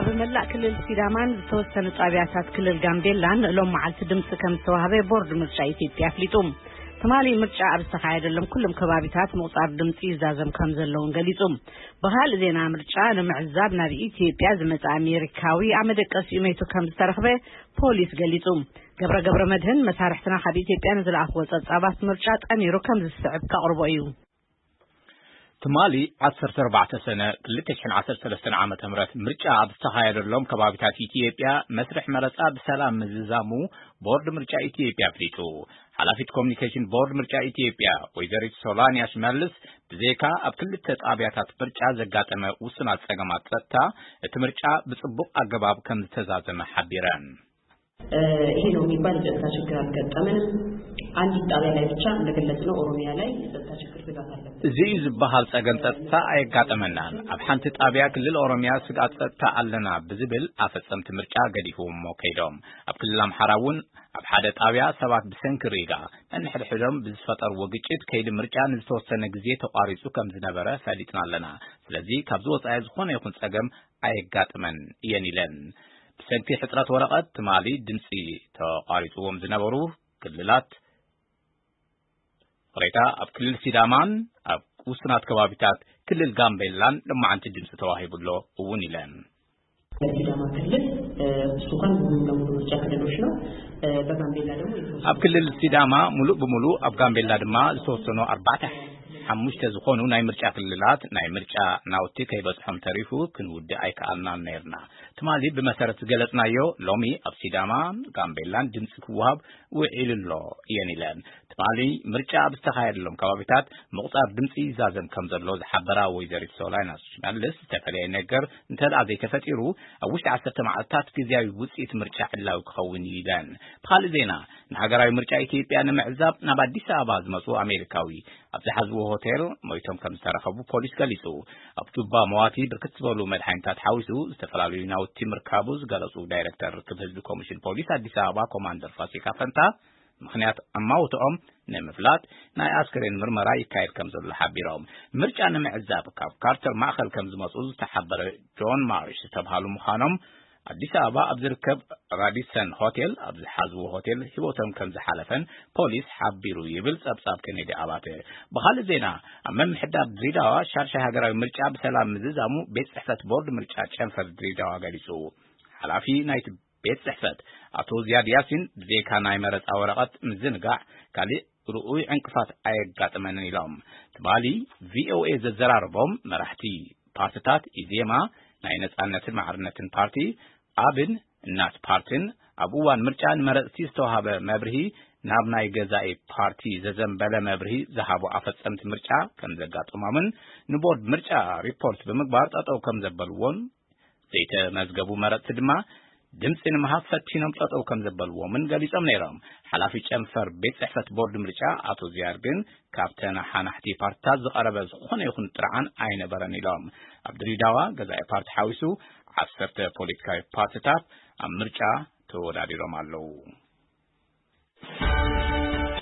ብመላእ ክልል ሲዳማን ዝተወሰኑ ጣብያታት ክልል ጋምቤላን ሎም መዓልቲ ድምፂ ከም ዝተዋህበ ቦርድ ምርጫ ኢትዮጵያ ኣፍሊጡ። ትማሊ ምርጫ ኣብ ዝተኻየደሎም ኩሎም ከባቢታት ምቑፃር ድምፂ ይዛዘም ከም ዘለውን ገሊጹ። ብኻልእ ዜና፣ ምርጫ ንምዕዛብ ናብ ኢትዮጵያ ዝመፀ ኣሜሪካዊ ኣብ መደቀሲኡ መይቱ ከም ዝተረኽበ ፖሊስ ገሊጹ። ገብረ ገብረ መድህን መሳርሕትና ካብ ኢትዮጵያ ንዝለኣኽዎ ጸብጻባት ምርጫ ጠሚሩ ከም ዝስዕብ ከቕርቦ እዩ። ትማሊ ዓሰርተ ኣርባዕተ ሰነ ክልተ ሽሕን ዓሰርተ ሰለስተን ዓመተ ምህረት ምርጫ ኣብ ዝተኻየደሎም ከባቢታት ኢትዮጵያ መስርሕ መረጻ ብሰላም ምዝዛሙ ቦርድ ምርጫ ኢትዮጵያ ኣፍሊጡ። ሓላፊት ኮሚኒኬሽን ቦርድ ምርጫ ኢትዮጵያ ወይዘሪት ሶላንያ ሽመልስ፣ ብዘይካ ኣብ ክልተ ጣብያታት ምርጫ ዘጋጠመ ውሱናት ጸገማት ጸጥታ፣ እቲ ምርጫ ብጽቡቕ ኣገባብ ከም ዝተዛዘመ ሓቢረን። ይሄ ነው የሚባል የጸጥታ ችግር አልገጠመንም። አንዲት ጣቢያ ላይ ብቻ እንደገለጽነው ኦሮሚያ ላይ የጸጥታ ችግር ስጋት አለበት። እዚ እዩ ዝበሃል ጸገም ጸጥታ ኣየጋጠመናን። ኣብ ሓንቲ ጣብያ ክልል ኦሮሚያ ስግኣት ጸጥታ ኣለና ብዝብል ኣፈጸምቲ ምርጫ ገዲፎሞ ከይዶም። ኣብ ክልል ኣምሓራ እውን ኣብ ሓደ ጣብያ ሰባት ብሰንኪ ሪጋ ነንሕድሕዶም ብዝፈጠርዎ ግጭት ከይዲ ምርጫ ንዝተወሰነ ግዜ ተቋሪጹ ከም ዝነበረ ፈሊጥና ኣለና። ስለዚ ካብዚ ወጻኢ ዝኾነ ይኹን ጸገም ኣየጋጥመን እየን ኢለን። ብሰንኪ ሕጽረት ወረቐት ትማሊ ድምጺ ተቋሪጽዎም ዝነበሩ ክልላት ቅሬታ ኣብ ክልል ሲዳማን ኣብ ውሱናት ከባቢታት ክልል ጋምቤላን ልማዓንቲ ድምፂ ተዋሂቡ ኣሎ እውን ኢለን። በሲዳማ ክልል እሱ እንኳን ሙሉ ለሙሉ ምርጫ ክልሎች ነው። በጋምቤላ ደግሞ የተወሰኑ ኣብ ክልል ሲዳማ ሙሉእ ብሙሉእ ኣብ ጋምቤላ ድማ ዝተወሰኑ ኣርባዕተ ሓሙሽተ ዝኾኑ ናይ ምርጫ ክልላት ናይ ምርጫ ናውቲ ከይበፅሖም ተሪፉ ክንውድእ ኣይከኣልናን ነይርና። ትማሊ ብመሰረት ዝገለፅናዮ ሎሚ ኣብ ሲዳማ ጋምቤላን ድምፂ ክወሃብ ውዒሉ ኣሎ እየን ኢለን። ትማሊ ምርጫ ኣብ ዝተኻየደሎም ከባቢታት ምቑፃር ድምፂ ይዛዘም ከም ዘሎ ዝሓበራ ወይዘሪት ሶላይና ሽመልስ፣ ዝተፈለየ ነገር እንተደኣ ዘይተፈጢሩ ኣብ ውሽጢ ዓሰርተ መዓልታት ግዝያዊ ውፅኢት ምርጫ ዕላዊ ክኸውን እዩ ኢለን። ብኻልእ ዜና፣ ንሃገራዊ ምርጫ ኢትዮጵያ ንምዕዛብ ናብ ኣዲስ ኣበባ ዝመፁ ኣሜሪካዊ ኣብ ዝሓዝዎ ሆቴል ሞይቶም ከም ዝተረኸቡ ፖሊስ ገሊፁ። ኣብ ጁባ መዋቲ ብርክት ዝበሉ መድሓኒታት ሓዊሱ ዝተፈላለዩ ናውቲ ምርካቡ ዝገለፁ ዳይሬክተር ርክብ ህዝቢ ኮሚሽን ፖሊስ ኣዲስ ኣበባ ኮማንደር ፋሲካ ፈንታ፣ ምኽንያት ኣማውትኦም ንምፍላጥ ናይ ኣስክሬን ምርመራ ይካየድ ከም ዘሎ ሓቢሮም። ምርጫ ንምዕዛብ ካብ ካርተር ማእኸል ከም ዝመፁ ዝተሓበረ ጆን ማርሽ ዝተብሃሉ ምዃኖም ኣዲስ ኣበባ ኣብ ዝርከብ ራዲሰን ሆቴል ኣብ ዝሓዝዎ ሆቴል ህይወቶም ከም ዝሓለፈን ፖሊስ ሓቢሩ ይብል ጸብጻብ ኬኔዲ ኣባተ። ብኻልእ ዜና፣ ኣብ ምምሕዳር ድሬዳዋ ሻድሻይ ሃገራዊ ምርጫ ብሰላም ምዝዛሙ ቤት ጽሕፈት ቦርድ ምርጫ ጨንፈር ድሬዳዋ ገሊጹ። ሓላፊ ናይቲ ቤት ጽሕፈት ኣቶ ዝያድ ያሲን፣ ብዘይካ ናይ መረጻ ወረቐት ምዝንጋዕ ካልእ ርኡይ ዕንቅፋት ኣየጋጠመንን ኢሎም። ትማሊ ቪኦኤ ዘዘራረቦም መራሕቲ ፓርትታት ኢዜማ፣ ናይ ነጻነትን ማዕርነትን ፓርቲ፣ ኣብን እናት ፓርትን ኣብ እዋን ምርጫ ንመረጽቲ ዝተዋህበ መብርሂ ናብ ናይ ገዛኢ ፓርቲ ዘዘንበለ መብርሂ ዝሃቡ ኣፈጸምቲ ምርጫ ከም ዘጋጠሞምን ንቦርድ ምርጫ ሪፖርት ብምግባር ጠጠው ከም ዘበልዎን ዘይተመዝገቡ መረጽቲ ድማ ድምጺ ንምሃብ ፈቲኖም ጠጠው ከም ዘበልዎምን ገሊጾም ነይሮም። ሓላፊ ጨንፈር ቤት ጽሕፈት ቦርድ ምርጫ ኣቶ ዝያድ ግን ካብ ተነሓናሕቲ ፓርትታት ዝቐረበ ዝኾነ ይኹን ጥርዓን ኣይነበረን ኢሎም። ኣብ ድሬዳዋ ገዛኢ ፓርቲ ሓዊሱ ዓሰርተ ፖለቲካዊ ፓርትታት ኣብ ምርጫ ተወዳዲሮም ኣለዉ።